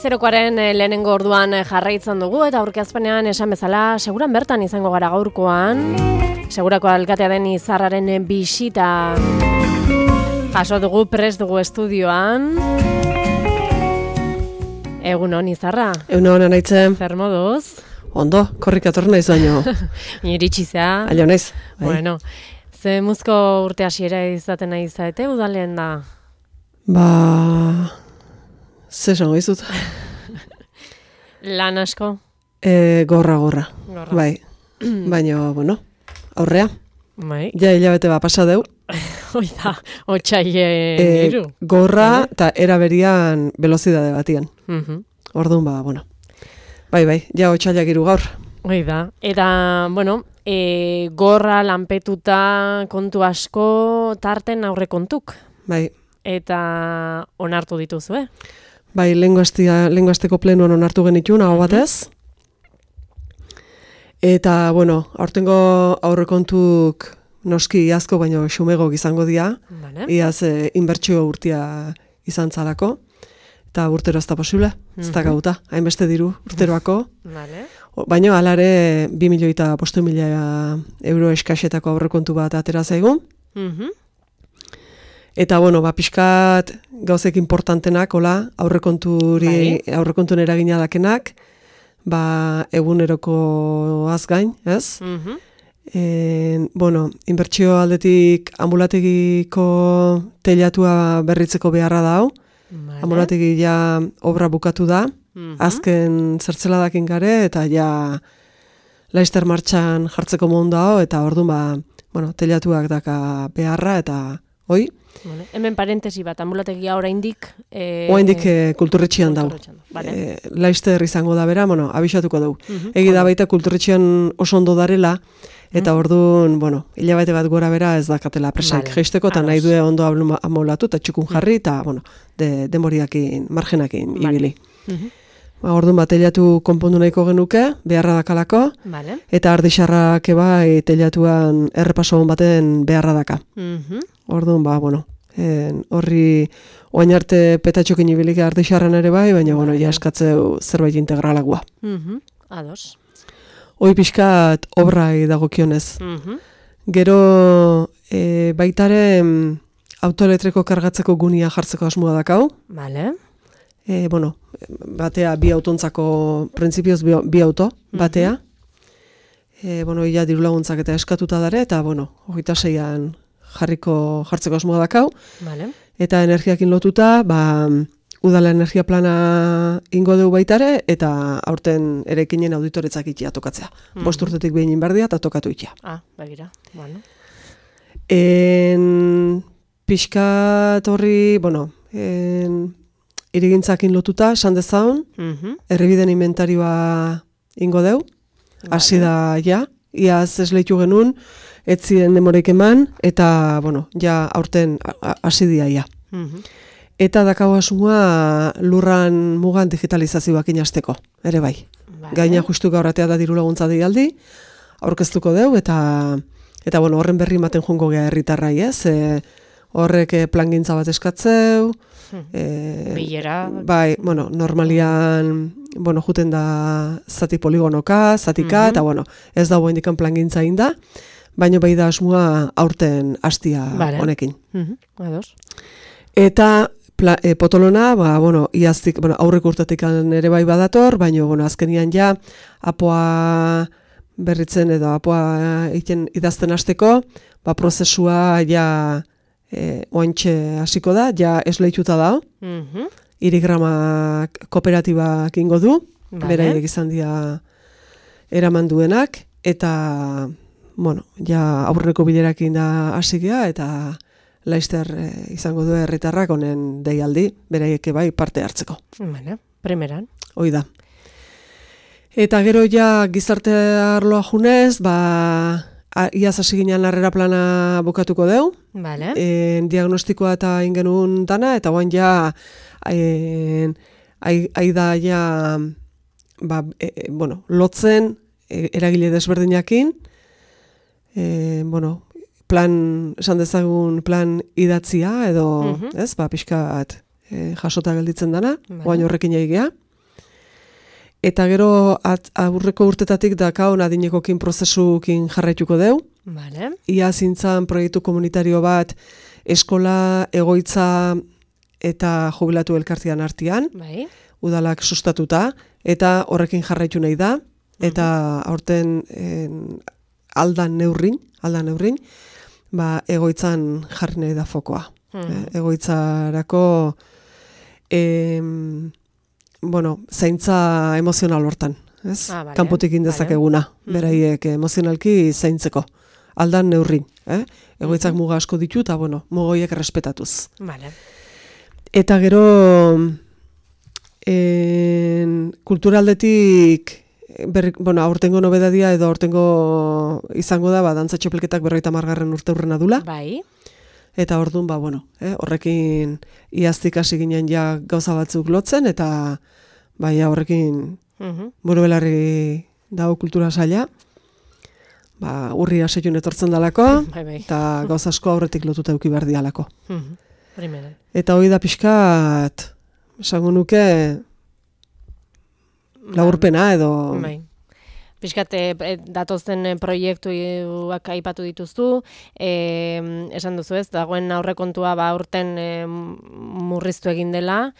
Zerokoaren lehenengo orduan jarraitzen dugu eta aurkezpenean esan bezala seguran bertan izango gara gaurkoan. Segurako alkatea den Izarraren bisita jaso dugu, prest dugu estudioan. Egunon Izarra. Egunon anaitzen. Zer moduz? Ondo, korrik atorri naiz baino. Iritsi-zea. Aio naiz. Bueno, ze muzko urte hasiera izaten nahi zaete udalen da? Ze esango izut? Lan asko? Gorra. Bai. Baina, bueno, aurrea. Bai. Ja hilabete pasa deu. Oida, otxaile iru. Gorra eta eraberian velozidade batian. Orduan, bueno. Bai, ja otxailak iru gaur. Oida, eta, bueno, gorra, lanpetuta, kontu asko, tarten aurre kontuk. Bai. Eta onartu dituzu, Bai, lehengo asteko plenuan onartu genitun, hau batez. Eta, bueno, aurtengo aurrekontuk noski iazko, baino xumego izango dira. Vale. Iaz inbertsio urtia izan zalako. Eta urtero ez da posible, ez da gauta. Hainbeste diru urteroako. Vale. Baina alare 2.500.000 euro eskasetako aurrekontu bat atera zaigun. Eta, bueno, pixkat gauzek importantenak, aurrekontun eragina dakenak, eguneroko azgain, ez? Bueno, inbertsio aldetik ambulategiko teilatua berritzeko beharra da hau. Vale. Ambulategi ja obra bukatu da, azken zertzeladakin gare, eta ja laister martxan jartzeko mundu hau, eta orduan, bueno, teilatuak daka beharra, eta hoi. Vale. Hemen parentesi bat, ambulategia oraindik Oraindik kulturretxean dau. Vale. Laister izango da bera, bueno, abisatuko dugu. Egi da baita kulturretxean oso ondo darela, eta orduan, bueno, hilabete bat gora bera ez dakatela presaik geisteko, eta nahi due ondo amolatu, eta txukun jarri, eta, bueno, denboriakin, margenakin ibili. Orduan teilatu konpondu nahiko genuke, beharra dakalako, eta ardixarrak bai teilatuan errepaso baten beharra daka. Orduan, bueno, horri oain arte petatxokin ibilik ardixarran ere bai, baina, bueno, ja eskatzeu zerbait integralagoa. Ados. Hoi pixkat obrai dagokionez. Gero baitare autoelektriko kargatzeko gunia jartzeko asmoa dakau. Vale. Bueno, batea bi autontzako, printzipioz bi auto, batea. Bueno, ia diru laguntzak eta eskatuta dare, eta, bueno, 26an jartzeko asmoa dakau. Vale. Eta energiakin lotuta, udala energia plana ingo dugu baitare, eta aurten erekinen auditoretzak itia tokatzea. 5 urtetik behin inberdia eta tokatu itia. Begira, bueno. Pixkat horri, bueno, irigintzakin lotuta, esan dezaun, errebiden inventarioa ingo deu, hasi da ja, iaz esleitu genuen, ez ziren demoreik eman, eta, bueno, ja aurten hasi dia ja. Eta dakau asmoa lurran mugan digitalizazioak inazteko, ere bai. Gaina justu gauratea da diru laguntza deialdi, aurkeztuko deu, eta bueno, horren berri ematen joango gea herritarrai, ez? Horrek plangintza bat eskatzeu, bilera. Bai, bueno, normalian, bueno, juten da zati poligonoka, zatika, eta bueno, ez dago indikan plangintza inda, baina bai da asmoa aurten hastia honekin. Ados. Eta potolona, bueno, iaztik, bueno, aurreko urtetik ere bai badator, baina, bueno, azkenian ja, apoa berritzen edo apoa idazten hasteko, prozesua ja oantxe hasiko da, ja esleituta da, irigrama kooperatibak ingo du, beraiek izan dira eraman duenak, eta, bueno, ja aurreko bilerakin da hasigea, eta laister izango du herritarrak honen deialdi, beraiek bai parte hartzeko. Primeran. Hoi da. Eta gero ja gizarte arloa junez, iaz hasi ginen harrera plana bukatuko deu. Vale. Diagnostikoa eta ingenun dana, eta guan ja aida ja bueno, lotzen eragile desberdinakin, bueno, esan dezagun plan idatzia, edo, ez, pixkat jasota gelditzen dana, oain horrekin egea. Eta gero aurreko urtetatik dakaon adinekokin prozesukin jarraituko deu. Vale. Ia zintzan proiektu komunitario bat eskola, egoitza eta jubilatu elkartian artean. Bai. Udalak sustatuta, eta horrekin jarraitu nahi da, eta aurten aldan neurrin, egoitzan jarri nahi da fokoa. Egoitzarako zaintza emozional hortan, ez? Vale, kanpotik indezakeguna, beraiek emozionalki zaintzeko. Aldan neurrin, egoitzak muga asko ditu, eta mugoiek respetatuz. Vale. Eta gero kulturaldetik aurtengo nobedadia edo aurtengo izango da, dantza txapelketak 50. urteurrena dula. Bai. Eta orduan, horrekin iaztik hasi ginen ja gauza batzuk lotzen, eta horrekin buru belarri dago kultura saila, urri aseiun etortzen dalako, eta gauza asko aurretik lotuta euki behar dialako. Eta hori da pixkat, esango nuke, laburpena edo... Piskat, datozen proiektuak aipatu dituztu, esan duzu ez, dagoen aurrekontua aurten murriztu egin dela,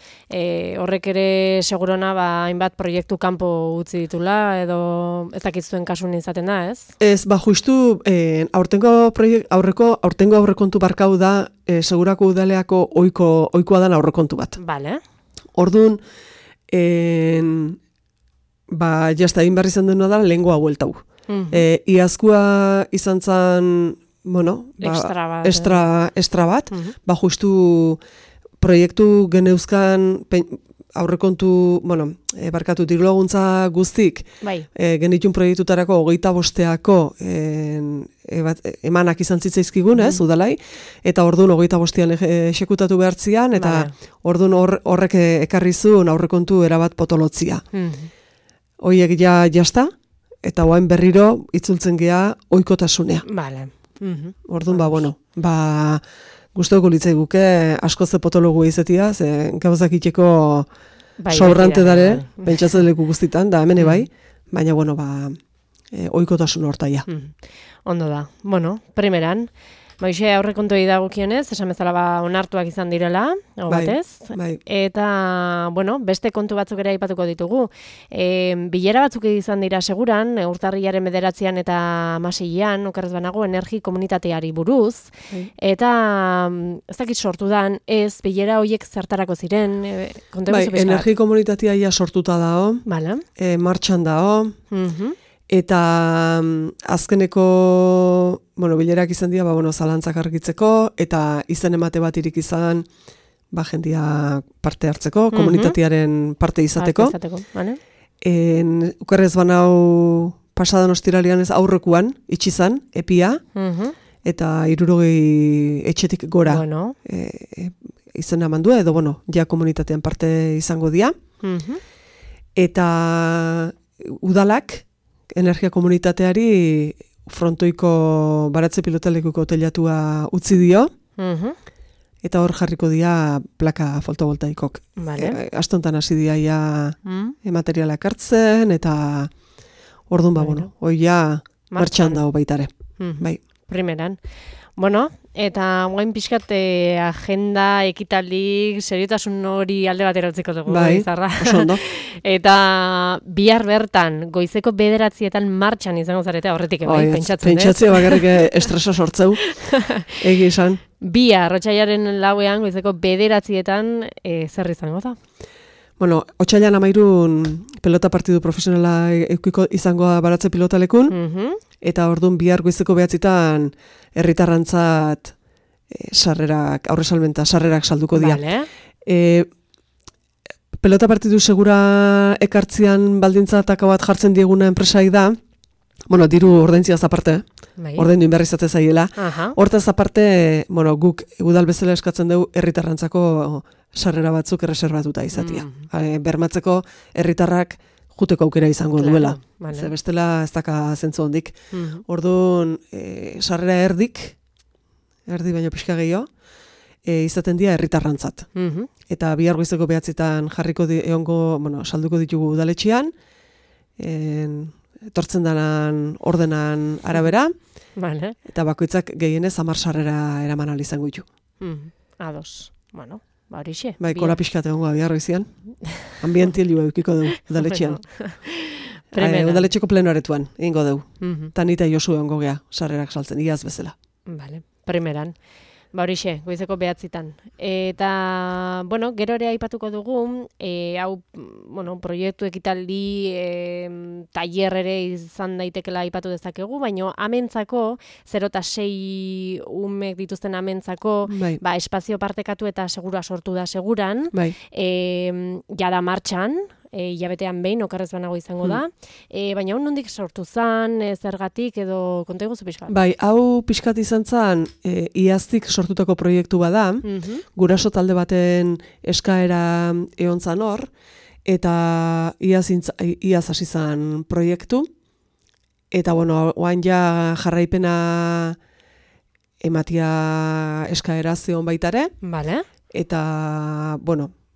horrek ere segurona hainbat proiektu kanpo utzi ditula, edo ez dakitzuen kasun izaten da, ez? Ez, justu, aurtengo aurrekontu barkau da, segurako udaleako ohikoa dan aurrekontu bat. Vale. Orduan, jazta egin behar izan dena da, lehengoa hueltau. Iazkoa izan zen, extra bat, justu proiektu geneuzkan aurrekontu, barkatu diru laguntza guztik, genitun proiektutarako 25 emanak izan zitzaizkigun, ez, udalai, eta orduan 25an esekutatu behartzian, eta orduan horrek ekarrizun aurrekontu erabat potolotzia. Hoiek jazta, eta oain berriro itzultzen gea ohikotasunea. Vale. Orduan, gustoko litzai guke asko ze potologu izatea, ze gauzak itxeko sobrante dare, pentsatzen leku guztitan, da hemen bai, baina, ohikotasun hortaia. Ondo da. Primeran, Moixe aurrekontuei dagokionez, esan bezala onartuak izan direla, batez. Eta, beste kontu batzuk ere aipatuko ditugu. Bilera batzuk izan dira seguran, urtarrilaren 9 eta 16an, okerrez banago, energi komunitateari buruz. Eta, ez dakit sortu dan, ez bilera horiek zertarako ziren. Energi komunitatea ia sortuta dao, martxan dao, eta azkeneko bilerak izan dira, zalantzak argitzeko, eta izen emate bat irik izan, jendia parte hartzeko, komunitatearen parte izateko. Ukerrez banau pasadan ostiralian ez aurrekuan, itxizan, epia, eta 60 etxetik gora izena mandua, edo ja komunitatean parte izango dira. Eta udalak, energia komunitateari frontoiko baratze pilotalekuko telatua utzi dio, eta hor jarriko dira plaka fotovoltaikok. Astontan hasi dira materialak hartzen, eta orduan hoi ja martxan dago baitare. Primeran. Eta guain pixkat agenda, ekitaldik, seriotasun hori alde batera utziko dugu. Oso ondo. Eta bihar bertan, goizeko 9 martxan izango zarete, horretik pentsatzen. Pentsatzea bakarrik estresa sortzeu, egi esan. Bihar, otsailaren 4 goizeko 9 zer izango da? Otsailan 13 pelota partidu profesionala izangoa baratze pilotalekun, eta orduan bihar goizeko 9 herritarrantzat aurresalmenta sarrerak salduko dira. Pelota partidu segura ekartzian baldintzatako bat jartzen dieguna enpresai da, diru ordaintziaz aparte, ordaindu inberri izate zaiela. Hortaz aparte, guk udal bezala eskatzen dugu herritarrantzako sarrera batzuk erreserbatuta izatea. Bermatzeko herritarrak juteko aukera izango duela. Ze bestela ez daka zentzu hondik. Orduan, sarrera erdi baino pixka gehiago, izaten dira herritarrantzat. Eta bihar goizeko 9:00 jarriko salduko ditugu udaletxean, etortzen danan ordenan arabera, vale. Eta bakoitzak gehienez 10 sarrera eraman ahal izango ditu. Ados. Bueno, horixe. Bai, kola pixkat egongo bihar goizean. Ambientilua edukiko dugu udaletxean. Udaletxeko plenoaretuan, egingo dugu. Ta nita Josu egongo gea, sarrerak saltzen, iaz bezala. Vale, primeran. Horixe, goizeko 9:00. Eta, gero ere aipatuko dugu, hau, proiektu ekitaldi, tailer ere izan daitekela aipatu dezakegu, baina amentzako, 0 eta 6 umek dituzten amentzako, espazio partekatu eta segura sortu da seguran, jada martxan, hilabetean behin, okarrez banago izango da, baina hon nondik sortu zan, zergatik edo konta iguzu pixkat? Bai, hau pixkat izan zan, iaztik sortutako proiektu bada, guraso talde baten eskaera egon zan hor, eta iaz hasi zan proiektu, eta oain ja jarraipena ematia eskaera zeon baitare, eta,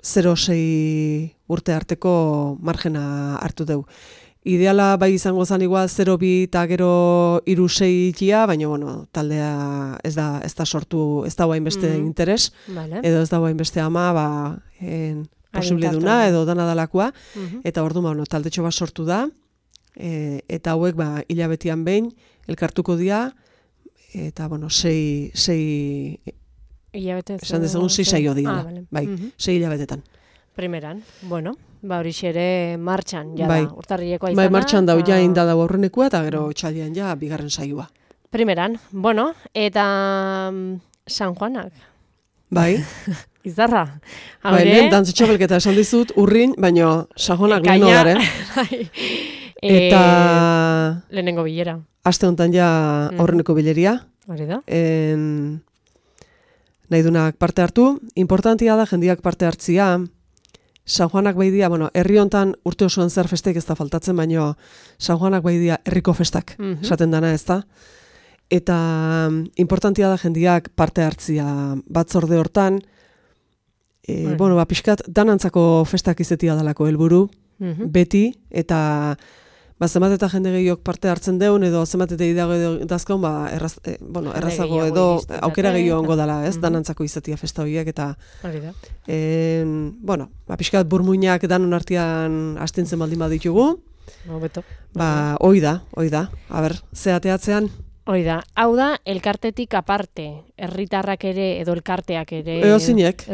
0-6 urte arteko margena hartu dugu. Ideala bai izango zan igual 0-2 eta gero 3-6 ikia, baina taldea ez da sortu, ez da hainbeste interes, edo ez da hainbeste ama, posibiliduna edo dana dalakoa, eta orduan taldetxo bat sortu da, eta hauek hilabetean behin elkartuko dira, eta 6 esan dezagun 6 saio dira, 6 hilabetetan. Primeran, horixe ere martxan, jada, urtarrilekoa izan da. Martxan dau, ja inda dau aurrenekua, eta gero txaldian ja bigarren saioa. Primeran, eta San Juanak. Bai. Izarra. Lehen dantzutxabelketa esan dizut, urrin, baina San Juanak leheno gare. Eta lehenengo bilera. Aste honetan ja aurreneko bileria. Hori da. Nahi dunak parte hartu. Importantia da jendiak parte hartzia. San Juanak baidia, herri hontan urte osoan zer festek ez da faltatzen, baina San Juanak baidia herriko festak, esaten dana ez da. Eta importantia da jendiak parte hartzia batzorde hortan, pixkat danantzako festak izetia dalako helburu, beti, eta zenbat eta jende gehiok parte hartzen deun, edo zenbat eta idago dazkaun, errazago edo aukera gehiago ongo dela, ez, danantzako izatia festa horiek, eta pixkat burmuinak danon artean astintzen baldin baditugu, hoi da, zeateatzean. Hoi da, hau da, elkartetik aparte, herritarrak ere, edo elkarteak ere. Edozinek,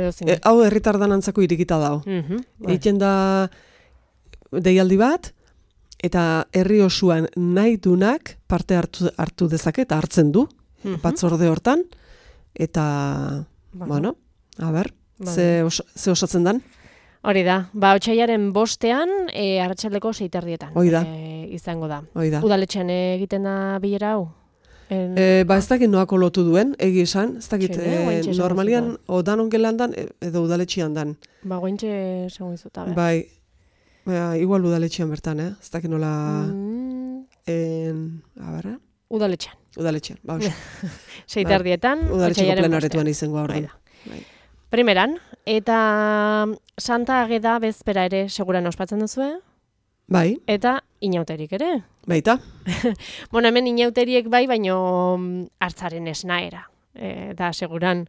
hau herritar danantzako irikita dao. Egiten da deialdi bat, eta herri osuan nahi dunak parte hartu dezake, eta hartzen du, batzorde hortan, eta, ze osatzen dan? Hori da, otsailaren 5ean, arratsaldeko 6:30 izango da. Udaletxean egiten da bilera hau? Ez dakit noako lotu duen, egi esan, ez dakit, normalian, danon gelan dan, edo udaletxean dan. Gointxe esango izuta, bai. Igual udaletxean bertan, ez dakit nola... Udaletxean. Udaletxean, oso. 6:30, udaletxeko plenaretuan izango aurren. Primeran, eta Santa Ageda bezpera ere seguran ospatzen duzue? Bai. Eta inauterik ere? Baita. Hemen inauteriek bai, baino hartzaren esnaera. Eta seguran,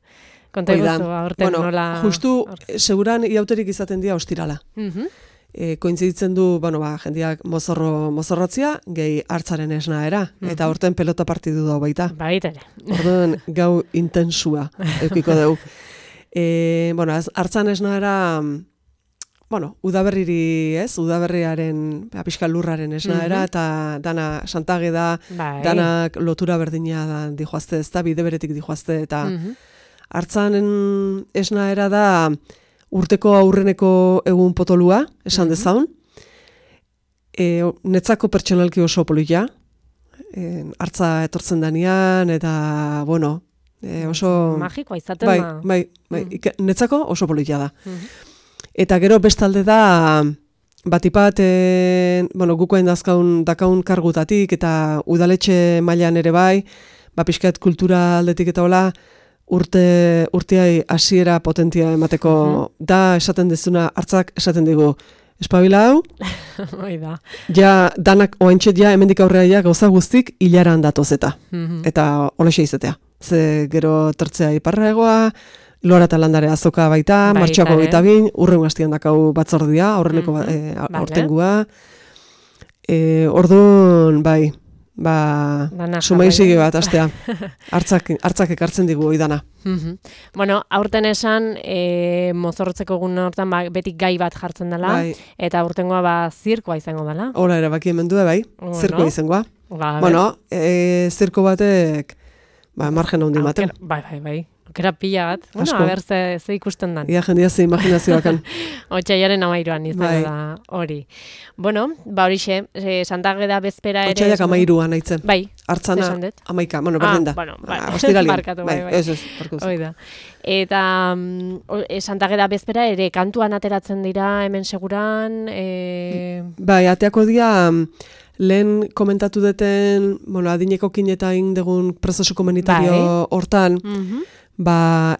konta iguzu aurten nola... Justu, seguran inauterik izaten dira ostirala. Kointziditzen du, jendeak mozorrotzia, gehi hartzaren esnaera. Eta aurten pelota partidu dago baita. Baita ere. Orduan gau intensua eukiko dugu. Hartzan esnaera... udaberriri ez, udaberriaren pixka lurraren esnaera, eta dana Santa Ageda, danak lotura berdina dijoazte, ez da, bide beretik dijoazte, eta hartzan esnaera da urteko aurreneko egun potolua, esan dezaun, netzako pertsonalki oso polita, hartza etortzen danean, eta, oso... Magikoa izaten da. Bai, netzako oso polita da. Eta gero bestalde da, batipat, gukoen dakaun kargutatik, eta udaletxe mailan ere bai, pixkat kultura aldetik eta hola, urteai hasiera potentia emateko da esaten dezuna hartzak esaten digu espabila hau. Oida. Ja danak oaintxet ja hemendik aurrea ja gauza guztik hilaran datoz eta holaxe izatea. Ze gero tertzea iparraegoa, Lora eta landare azoka baita, martxoako 22, urrengo astian dakau batzordia, aurreneko aurtengua. Orduan, bai, sumaizigi bat, astea. Hartzak ekartzen digu oidana. Bueno, aurten esan, mozorrotzeko egun hortan betik gai bat jartzen dela, eta aurtengoa zirkoa izango dela. Hora, erabaki hemen du, bai, zirkoa izangoa. Bueno, zirko batek, margen handi maten. Bai. Okera pila bat. Bueno, a ber, ze ikusten dan. Ia jendia ze imaginazioakan. Otsailaren 13an izango da hori. Bueno, horixe, Santa Ageda bezpera ere... Otsailak 13an aitzen. Bai, hartzana 11, berdin da. Ostiralien. Barkatu, bai. Oida. Eta Santa Ageda bezpera ere kantuan ateratzen dira hemen seguran... Bai, ateako dira... Lehen komentatu duten, adinekokin eta indegun prozesu komunitario hortan,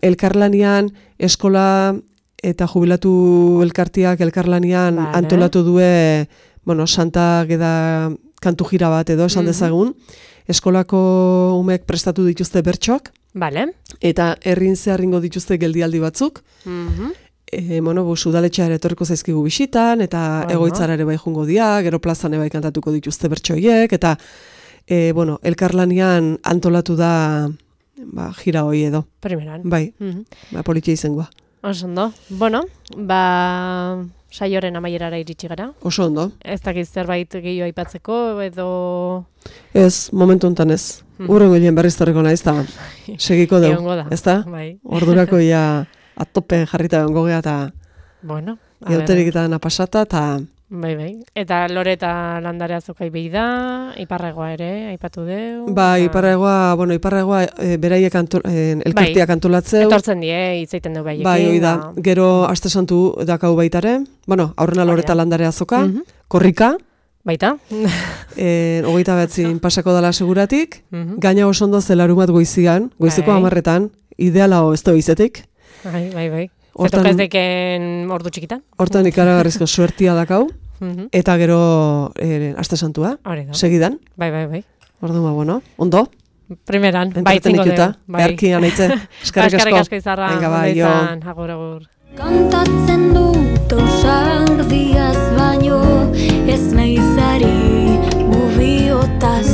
elkarlanian, eskola eta jubilatu elkartiak elkarlanian antolatu due, Santa Ageda kantu jira bat edo esan dezagun, eskolako umek prestatu dituzte bertsoak, eta herrin zeharringo dituzte geldialdi batzuk, udaletxeare etorriko zaizkigu bisitan, eta egoitzara ere bai jungo dia, gero plazan bai kantatuko dituzte bertsoiek, eta elkarlanian antolatu da jira hoi edo. Primeran. Bai, politia izangoa. Oso ondo. Bueno, saioren amaierara iritsi gara. Oso ondo. Ez dakiz zerbait gehiago aipatzeko, edo... Ez, momentu honetan ez. Urrengo hien berriz torriko naiz, eta segiko deu. Egongo da. Ez da? Ordurako ia... atope jarrita egongo gea eta euterik eta napasata eta... Bai. Eta Lore eta landare azokai behi da, iparraegoa ere, aipatu deu. Iparraegoa beraiek elkartiak antolatzeu. Etortzen die, hitzaiten deu behiekin. Bai, oida, gero aste santu dakau baitare, aurrena Lore eta landare azoka, korrika. Baita. 29 pasako dala seguratik, gaina oso ondo zelarumat goizian, goiziko 10etan, ideala ez da izetik. Bai. Zertok ez deken ordu txikitan? Hortan ikaragarrizko suertia dakau, eta gero aste santua, segidan. Bai. Orduan, ondo? Primeran, baitzingo deu. Beharki anaitze. Eskerrik asko izarra. Agur. Kantatzen dut ausardiaz baino, ez naizari mubiotaz